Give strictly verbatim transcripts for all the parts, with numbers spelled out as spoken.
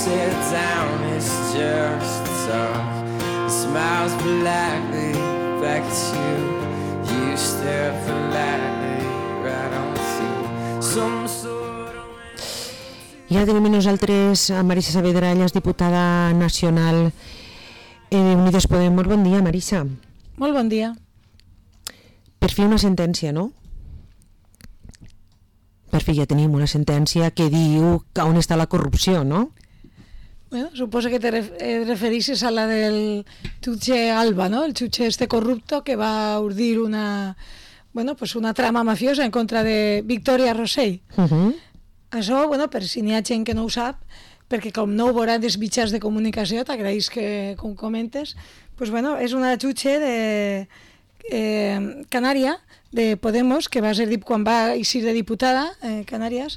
sit down, it's just tough. He smiles politely back at you. You stare politely right on through some sort of... I ara tenim nosaltres a Marisa Saavedra, ella és diputada nacional de Unides Podem. Molt bon dia, Marisa. Molt bon dia. Per fi una sentència, no? Per fi ja tenim una sentència que diu on està la corrupció, no? Bueno, suposo que te refereixes a la del jutge Alba, ¿no? El jutge este corrupto que va urdir una, bueno, pues una trama mafiosa en contra de Victoria Rosell. Uh-huh. Això, bueno, per si n'hi ha gent que no ho sap, perquè com no ho veuran dels mitjans de comunicació, t'agraïs que com comentes, pues bueno, és una jutge de eh, Canària, de Podemos, que va ser quan va eixir de diputada a eh, Canàries,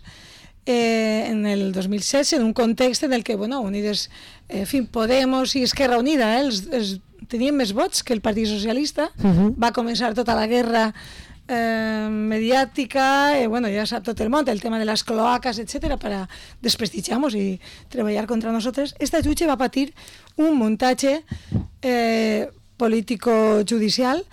eh, en el dos mil setze, en un context en el que, bueno, Unides, eh, en fi, Podemos i Esquerra Unida, eh, els, els, tenien més vots que el Partit Socialista, uh-huh. Va començar tota la guerra Eh, mediàtica, eh, bueno, ja sap tot el món, el tema de les cloacas, etcètera, para desprestigiar-nos i treballar contra nosaltres. Esta jutge va patir un muntatge eh, político-judicial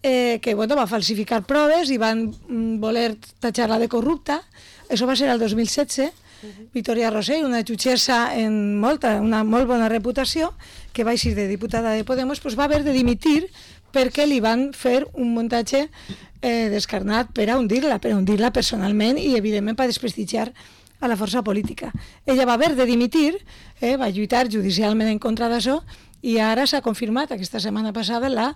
eh, que, bueno, va falsificar proves i van mm, voler tatxar-la de corrupta. Això va ser el dos mil setze. Uh-huh. Victoria Rosell, una jutgessa en molta, una molt bona reputació, que va eixir de diputada de Podemos, pues va haver de dimitir perquè li van fer un muntatge eh, descarnat per a hundir-la, per a hundir-la personalment i, evidentment, per desprestigiar a la força política. Ella va haver de dimitir, eh, va lluitar judicialment en contra d'això i ara s'ha confirmat, aquesta setmana passada, la,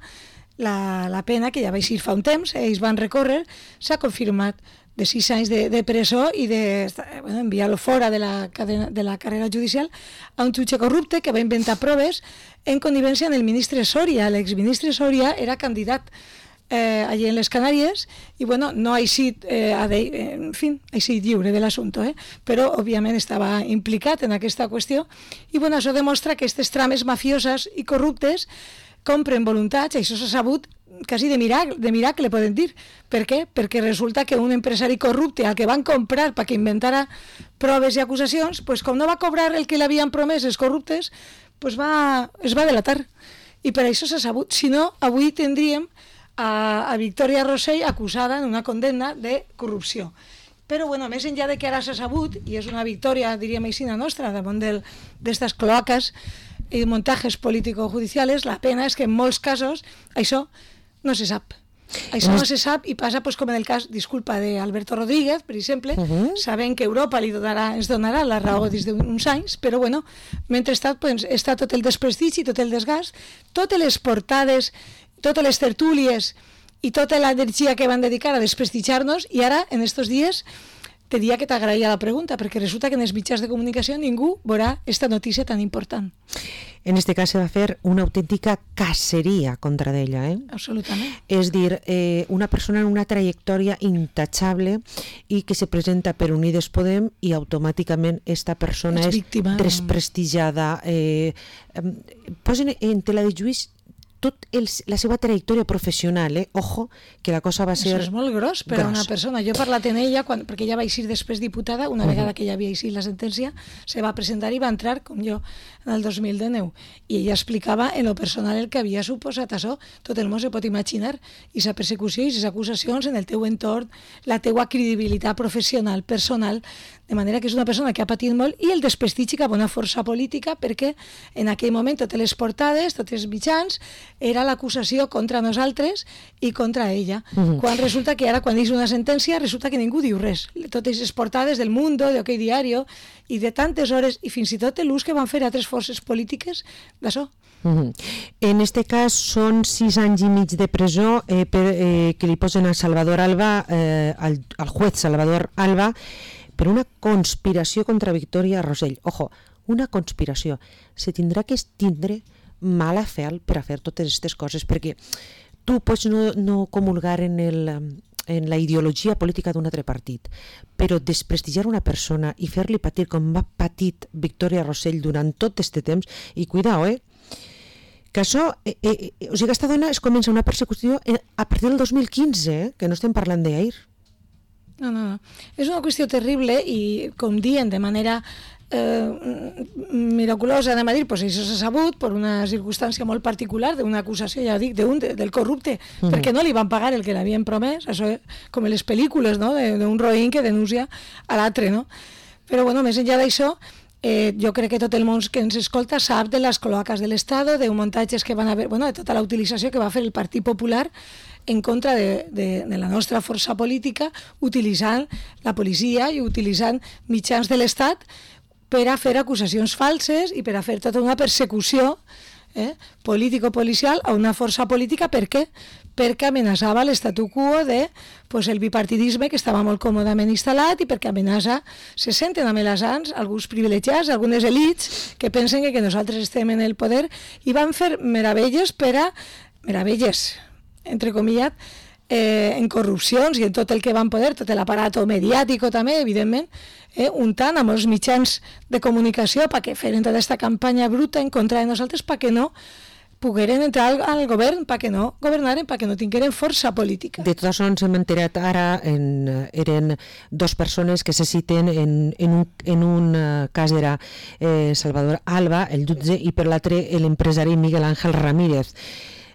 la, la pena que ja va eixir fa un temps, eh, ells van recórrer, s'ha confirmat de sis anys de, de presó i de bueno, enviar-lo fora de la, cadena, de la carrera judicial a un jutge corrupte que va inventar proves en connivència amb el ministre Soria. L'exministre Soria era candidat eh, allí en les Canàries i bueno, no ha eixit, eh, en fi, ha eixit lliure de l'assumpte, eh? Però òbviament estava implicat en aquesta qüestió i bueno, això demostra que aquestes trames mafioses i corruptes compren voluntats, això s'ha sabut quasi de miracle, de miracle poden dir. Per què? Perquè resulta que un empresari corrupte al que van comprar perquè inventara proves i acusacions, pues com no va cobrar el que li havien promès els corruptes, pues va, es va delatar. I per això s'ha sabut. Si no, avui tindríem a, a Victoria Rosell acusada en una condemna de corrupció. Però, bueno, més enllà de que ara s'ha sabut, i és una victòria, diríem així, nostra, damunt d'estes cloaques i muntatges político-judicials, la pena és que en molts casos això no se sap. Això no se sap i passa pues, com en el cas, disculpa, d'Alberto Rodríguez, per exemple, uh-huh. Sabent que Europa li donarà, ens donarà la raó des d'uns anys, però bueno, mentrestant pues, està tot el desprestigi, tot el desgast, totes les portades, totes les tertúlies i tota l'energia que van dedicar a desprestigiar-nos i ara, en estos dies, te diria que t'agraïa la pregunta, perquè resulta que en els mitjans de comunicació ningú veurà esta notícia tan important. En este cas se va fer una autèntica caceria contra d'ella, eh? Absolutament. És dir, eh, una persona amb una trajectòria intachable i que se presenta per Unides Podem i automàticament esta persona és, és desprestigiada. Eh, eh, posen en tela de juís tot el, la seva trajectòria professional, eh? Ojo, que la cosa va ser... Això és molt gros per a una persona. Jo he parlat en ella, quan, perquè ella va eixir després diputada, una uh-huh. vegada que ja havia eixit la sentència, se va presentar i va entrar, com jo, en el dos mil dinou. I ella explicava en lo personal el que havia suposat això. Tot el món se pot imaginar. I sa persecució i les acusacions en el teu entorn, la teua credibilitat professional, personal, de manera que és una persona que ha patit molt i el desprestigi cap a una força política perquè en aquell moment totes les portades, tots els mitjans, era l'acusació contra nosaltres i contra ella. Uh-huh. Quan resulta que ara, quan és una sentència, resulta que ningú diu res. Totes les portades del Mundo, de OK Diario, i de tantes hores, i fins i tot l'ús que van fer altres forces polítiques d'això. Uh-huh. En este cas són sis anys i mig de presó eh, per, eh, que li posen a Salvador Alba, eh, al, al juez Salvador Alba, per una conspiració contra Victoria Rosell. Ojo, una conspiració. Se tindrà que tindre mala fe per a fer totes aquestes coses, perquè tu pots no, no comulgar en, el, en la ideologia política d'un altre partit, però desprestigiar una persona i fer-li patir com va patit Victoria Rosell durant tot aquest temps, i cuidao, eh? que això, eh, eh, o sigui, aquesta dona es comença una persecució a partir del dos mil quinze, eh? que no estem parlant d'ahir. No, no, no. És una qüestió terrible i, com diuen de manera eh, miraculosa, anem a dir, pues això s'ha sabut per una circumstància molt particular d'una acusació, ja dic, d'un, de, del corrupte, mm. perquè no li van pagar el que l'havien promès, això com en les pel·lícules, no?, d'un roïn que denuncia a l'altre, no? Però, bueno, més enllà d'això, eh, jo crec que tot el món que ens escolta sap de les cloacas de l'Estat, de muntatges que van haver, bueno, de tota la utilització que va fer el Partit Popular en contra de, de, de la nostra força política, utilitzant la policia i utilitzant mitjans de l'Estat per a fer acusacions falses i per a fer tota una persecució eh, político-policial a una força política. Per què? Perquè amenaçava l'estatu quo de pues, el bipartidisme que estava molt còmodament instal·lat i perquè amenaça, se senten amenaçants alguns privilegiats, algunes elits que pensen que, que nosaltres estem en el poder i van fer meravelles per a... meravelles, entre comillat, eh, en corrupcions i en tot el que van poder, tot l'aparato mediàtic també, evidentment, eh, untant amb els mitjans de comunicació perquè feren tota aquesta campanya bruta en contra de nosaltres perquè no pogueren entrar al, al govern, perquè no governaren, perquè no tingueren força política. De tot això ens hem enterat ara, en, eren dos persones que se citen, en, en, un, en un cas era eh, Salvador Alba, el jutge, i per l'altre l'empresari Miguel Ángel Ramírez.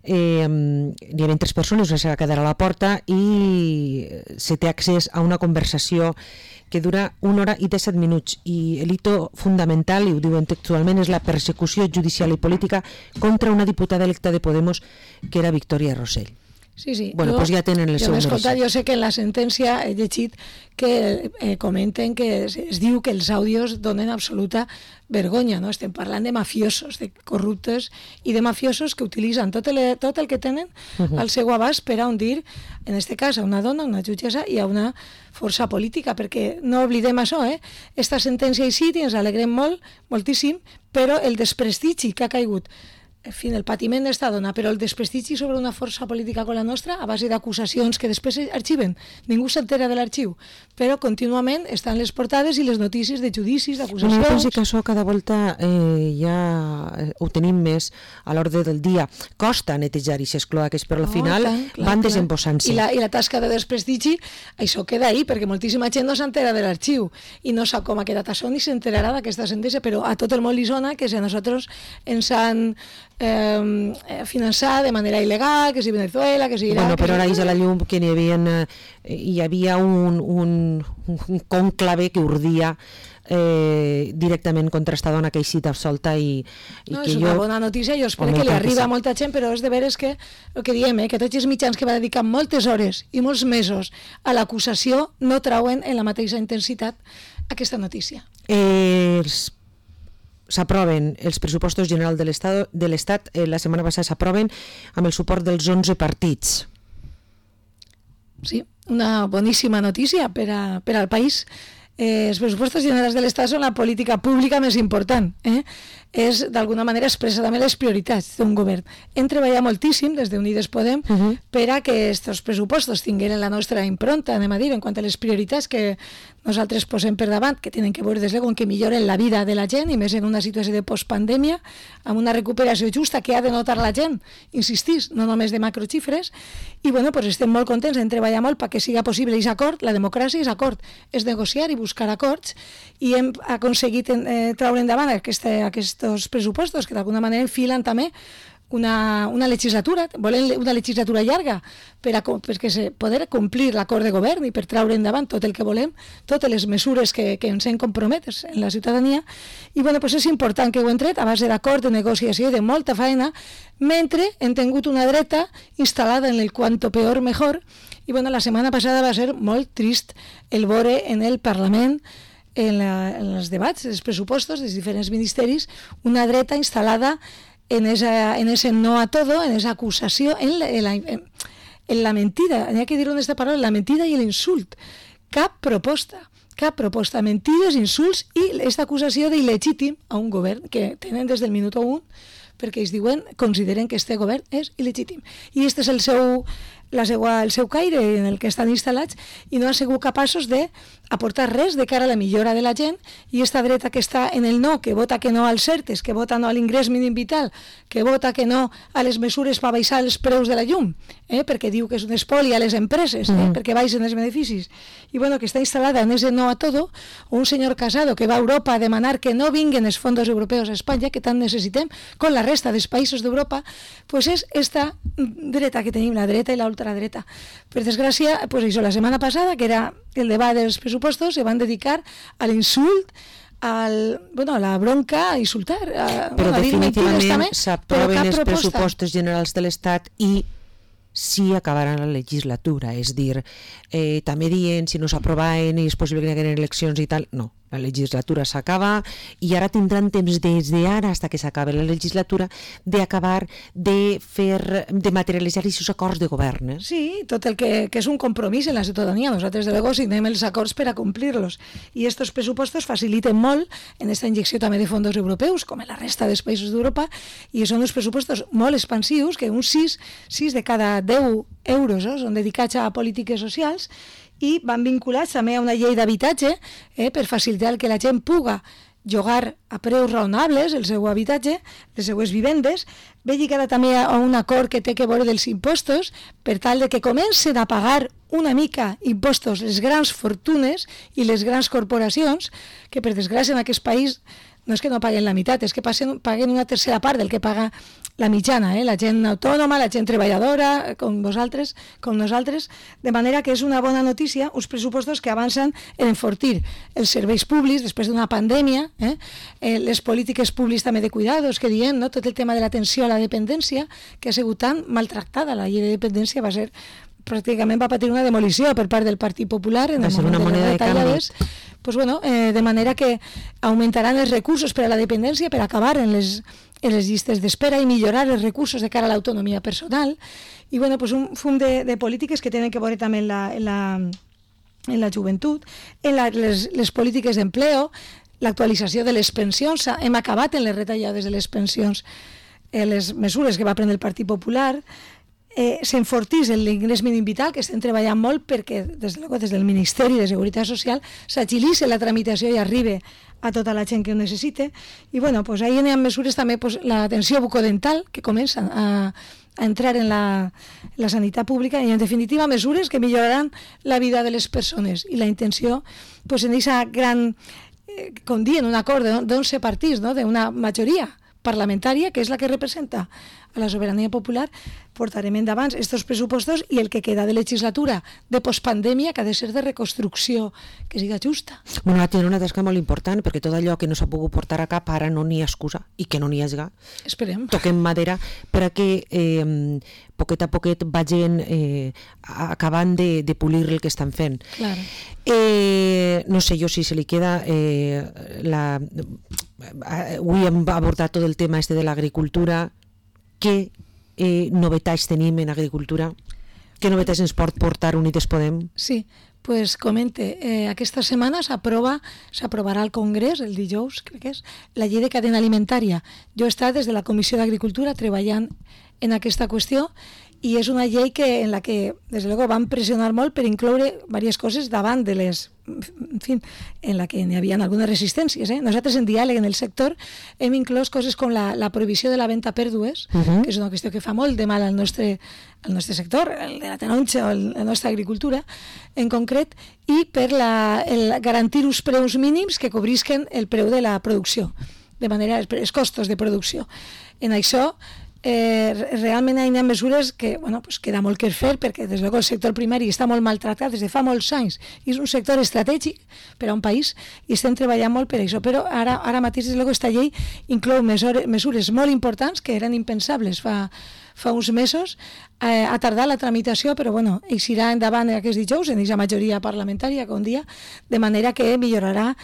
Eh, hi havia tres persones, una se va quedar a la porta i se té accés a una conversació que dura una hora i disset minuts i el hito fundamental, i ho diuen textualment, és la persecució judicial i política contra una diputada electa de Podemos que era Victòria Rosell. Sí, sí. Bueno, jo, pues ja tenen el jo seu escoltat, jo sé que en la sentència he llegit que eh, comenten que es, es diu que els àudios donen absoluta vergonya, no? Estem parlant de mafiosos, de corruptes i de mafiosos que utilitzen tot el, tot el que tenen uh-huh. al seu abast per a hundir, en este cas, a una dona, una jutgessa i a una força política, perquè no oblidem això, eh? Esta sentència i sí, ens alegrem molt, moltíssim, però el desprestigi que ha caigut, en fi, el patiment d'esta dona, però el desprestigi sobre una força política com la nostra, a base d'acusacions que després arxiven, ningú s'entera de l'arxiu, però contínuament estan les portades i les notícies de judicis, d'acusacions... Jo penso que això cada volta eh, ja ho tenim més a l'ordre del dia. Costa netejar aquestes cloaques, però al final oh, clar, van desembossant-se. I, la, I la tasca de desprestigi, això queda ahí, perquè moltíssima gent no s'entera de l'arxiu i no sap com ha quedat això ni s'enterarà d'aquesta sentència, però a tot el món li sona que si a nosaltres ens han Eh, finançar de manera il·legal, que si Venezuela, que si Irak... Bueno, però ara si... és a la llum que hi havia, eh, hi havia un, un, un conclave que urdia eh, directament contra esta dona que ha sigut absolta i, i no, que és jo... una bona notícia, jo espero que li arriba a molta gent, però és de veres que el que diem, eh, que tots els mitjans que va dedicar moltes hores i molts mesos a l'acusació no trauen en la mateixa intensitat aquesta notícia. Eh, els s'aproven els pressupostos generals de l'Estat, de l'Estat eh, la setmana passada s'aproven amb el suport dels onze partits. Sí, una boníssima notícia per, a, per al país. Eh, els pressupostos generals de l'Estat són la política pública més important. Eh? És, d'alguna manera, expressa també les prioritats d'un govern. Hem treballat moltíssim des d'Unides Podem uh-huh. per a que aquests pressupostos tingueren la nostra impronta, anem a dir, en quant a les prioritats que nosaltres posem per davant, que tenen que veure des de que milloren la vida de la gent, i més en una situació de postpandèmia, amb una recuperació justa que ha de notar la gent, insistís, no només de macroxifres, i bueno, pues estem molt contents, hem treballat molt perquè siga possible aquest acord. La democràcia és acord, és negociar i buscar acords, i hem aconseguit eh, traure endavant aquesta, aquests pressupostos que d'alguna manera enfilen també una, una legislatura, volen una legislatura llarga per a perquè se poder complir l'acord de govern i per traure endavant tot el que volem, totes les mesures que, que ens hem comprometes en la ciutadania, i bueno, pues és important que ho hem tret a base d'acord, de negociació i de molta feina, mentre hem tingut una dreta instal·lada en el quanto peor mejor, i bueno, la setmana passada va ser molt trist el veure en el Parlament, en, la, en els debats dels pressupostos dels diferents ministeris, una dreta instal·lada en esa, en ese no a todo, en esa acusació, en la, en la, en la mentida, hay que dir en esta paraula, la mentida i l'insult. Cap proposta, cap proposta, mentides, insults i aquesta acusació d'il·legítim a un govern que tenen des del minut un, perquè ells diuen, consideren que este govern és il·legítim. I aquest és el seu, la seua, el seu caire en el que estan instal·lats i no han sigut capaços d'aportar res de cara a la millora de la gent, i esta dreta que està en el no, que vota que no als CERTES, que vota no a l'ingrés mínim vital, que vota que no a les mesures per baixar els preus de la llum, eh, perquè diu que és un espoli a les empreses, eh, mm. perquè baixen els beneficis, i bueno, que està instal·lada en ese no a todo, o un senyor Casado que va a Europa a demanar que no vinguen els fondos europeus a Espanya, que tant necessitem, con la resta dels països d'Europa, pues és esta dreta que tenim, la dreta i la ultradreta. Per desgràcia, pues això, la setmana passada, que era el debat dels pressupostos, se van dedicar a l'insult, al, bueno, a la bronca, a insultar. A, però bueno, definitivament s'aproven els pressupostos generals de l'Estat i si acabaran la legislatura, és dir, eh, també dient si no s'aprovaven i és possible que hi hagin eleccions i tal, no, la legislatura s'acaba i ara tindran temps des d'ara fins que s'acabi la legislatura d'acabar de fer, de materialitzar aquests acords de govern. Eh? Sí, tot el que, que és un compromís en la ciutadania. Nosaltres de luego signem els acords per a complir-los i estos pressupostos faciliten molt en esta injecció també de fons europeus com en la resta dels països d'Europa, i són uns pressupostos molt expansius, que uns sis, sis de cada deu euros eh, són dedicats a polítiques socials, i van vinculats també a una llei d'habitatge eh, per facilitar que la gent puga llogar a preus raonables el seu habitatge, les seues vivendes. Ve lligada també a un acord que té que veure dels impostos, per tal de que comencen a pagar una mica impostos les grans fortunes i les grans corporacions, que per desgràcia en aquest país no és que no paguen la meitat, és que passen, paguen una tercera part del que paga la mitjana, eh? La gent autònoma, la gent treballadora, com vosaltres, com nosaltres, de manera que és una bona notícia, uns pressupostos que avancen en enfortir els serveis públics després d'una pandèmia, eh? Eh, les polítiques públiques també de cuidados, que diem, no? Tot el tema de l'atenció a la dependència, que ha sigut tan maltractada, la llei de dependència va ser pràcticament va patir una demolició per part del Partit Popular en el moment de les retallades, pues bueno, eh, de manera que augmentaran els recursos per a la dependència per acabar en les, en les llistes d'espera i millorar els recursos de cara a l'autonomia personal, i bueno, pues un fum de, de polítiques que tenen que veure també en la, en la, en la joventut, en la, les, les polítiques d'empleo, l'actualització de les pensions. Hem acabat en les retallades de les pensions, eh, les mesures que va prendre el Partit Popular. Eh, s'enfortís l'ingrés mínim vital, que estem treballant molt perquè des, de, des del Ministeri de Seguretat Social s'agilitzi la tramitació i arribi a tota la gent que ho necessite. I bueno, pues ahí hi ha mesures també, pues, l'atenció bucodental, que comença a, a entrar en la, la sanitat pública, i en definitiva mesures que milloraran la vida de les persones, i la intenció, pues, en aquesta gran, eh, com dient, un acord d'onze partits, no?, d'una majoria parlamentària, que és la que representa a la sobirania popular, portarem endavant estos pressupostos i el que queda de legislatura de postpandèmia, que ha de ser de reconstrucció, que siga justa. Bueno, ara tenen una tasca molt important, perquè tot allò que no s'ha pogut portar a cap ara no n'hi ha excusa, i que no n'hi hagi. Esperem. Toquem madera per a que eh, poquet a poquet vagin eh, acabant de, de polir el que estan fent. Claro. Eh, no sé jo si se li queda eh, la... Avui hem abordat tot el tema este de l'agricultura. Què eh, novetats tenim en agricultura? Què novetats ens pot portar Unides Podem? Sí, pues comente, eh, aquesta setmana s'aprova, s'aprovarà al Congrés, el dijous, crec que és, la llei de cadena alimentària. Jo he estat des de la Comissió d'Agricultura treballant en aquesta qüestió, i és una llei que, en la que, des de luego, van pressionar molt per incloure diverses coses davant de les, en fi, en la que hi havia algunes resistències. Eh? Nosaltres, en diàleg en el sector, hem inclòs coses com la, la prohibició de la venda a pèrdues, uh-huh. que és una qüestió que fa molt de mal al nostre, al nostre sector, el de la taronja o el, la nostra agricultura, en concret, i per la, el garantir uns preus mínims que cobrisquen el preu de la producció, de manera, els costos de producció. En això, Eh, realment hi ha mesures que, bueno, pues queda molt que fer, perquè des de luego el sector primari està molt maltratat des de fa molts anys, i és un sector estratègic per a un país, i estem treballant molt per això, però ara, ara mateix des de luego esta llei inclou mesures, mesures molt importants que eren impensables fa, fa uns mesos. Eh, ha tardat la tramitació, però bueno, eixirà endavant aquest dijous en aquesta majoria parlamentària que un dia, de manera que millorarà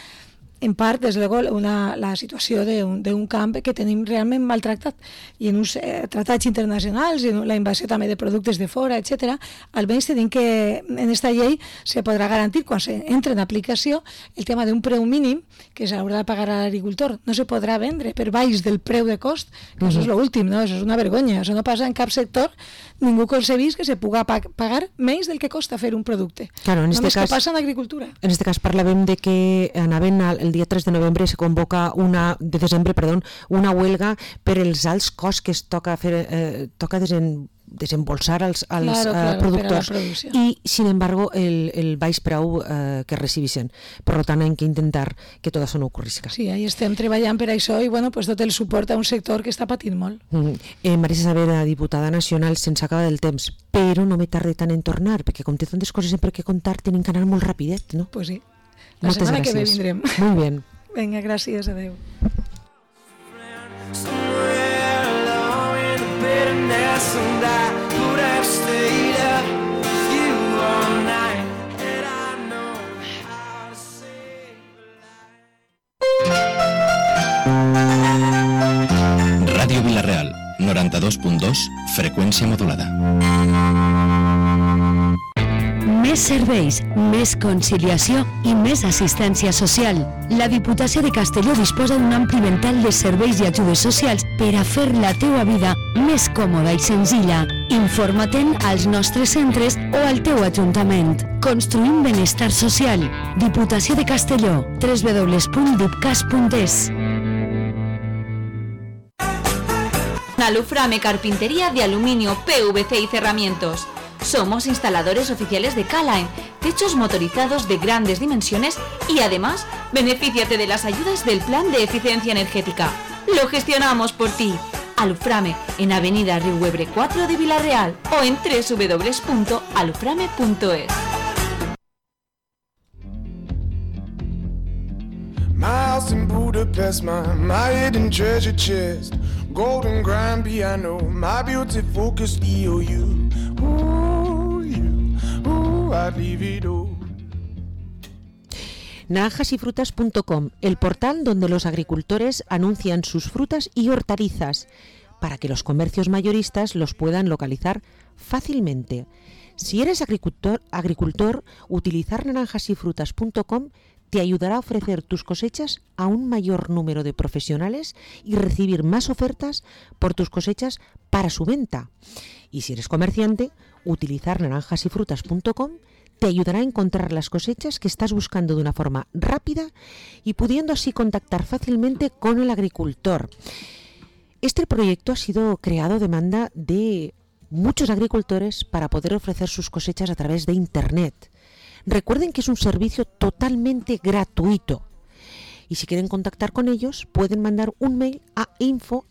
en part, des de una, la situació d'un camp que tenim realment maltractat, i en uns eh, tractats internacionals, i en la invasió també de productes de fora, etcètera. Almenys tenim que en aquesta llei se podrà garantir, quan se entre en aplicació, el tema d'un preu mínim que s'haurà de pagar a l'agricultor. No se podrà vendre per baix del preu de cost, que uh-huh. això és l'últim, no? Això és una vergonya. Això no passa en cap sector. Ningú concebís que se puga pagar menys del que costa fer un producte. Claro, en este Només cas, que passa en agricultura. En este cas parlàvem de que anaven el dia tres de novembre se convoca una de desembre, perdó, una huelga per els alts costs que es toca fer eh, toca desen, desembolsar als, als claro, claro, uh, productors i, sin embargo, el, el baix preu uh, que recibixen. Per tant, hem que intentar que tot això no ocorrisca. Sí, ahí estem treballant per això i bueno, pues tot el suport a un sector que està patint molt. Mm. Eh, Marisa Saavedra, diputada nacional, se'ns acaba del temps, però no me tarde tant en tornar, perquè com té tantes coses sempre que contar, tenim que anar molt rapidet, no? Pues sí. La Moltes setmana gràcies. que ve vindrem. Molt bé. Vinga, gràcies, adeu. Ràdio Vila-real, noranta-dos punt dos, freqüència modulada. Més serveis, més conciliació i més assistència social. La Diputació de Castelló disposa d'un ampli ventall de serveis i ajudes socials per a fer la teua vida més còmoda i senzilla. Informa-te'n als nostres centres o al teu ajuntament. Construïm benestar social. Diputació de Castelló. w w w punt dipcas punt es. Aluframe Carpintería de Aluminio, P V C y Cerramientos. Somos instaladores oficiales de K-Line, techos motorizados de grandes dimensiones y además, benefíciate de las ayudas del Plan de Eficiencia Energética. Lo gestionamos por ti. Aluframe, en Avenida Riuebre cuatro de Vila-real o en w w w punto aluframe punto es. My house in Budapest, my, my hidden treasure chest, golden grand piano, my beauty focused E O U. Ooh, you, ooh, I'd leave it all. naranjas y frutas punto com, el portal donde los agricultores anuncian sus frutas y hortalizas para que los comercios mayoristas los puedan localizar fácilmente. Si eres agricultor, agricultor, utilizar naranjas y frutas punto com te ayudará a ofrecer tus cosechas a un mayor número de profesionales y recibir más ofertas por tus cosechas para su venta. Y si eres comerciante, utilizar naranjas y frutas punto com te ayudará a encontrar las cosechas que estás buscando de una forma rápida y pudiendo así contactar fácilmente con el agricultor. Este proyecto ha sido creado a demanda de muchos agricultores para poder ofrecer sus cosechas a través de Internet. Recuerden que es un servicio totalmente gratuito y si quieren contactar con ellos pueden mandar un mail a info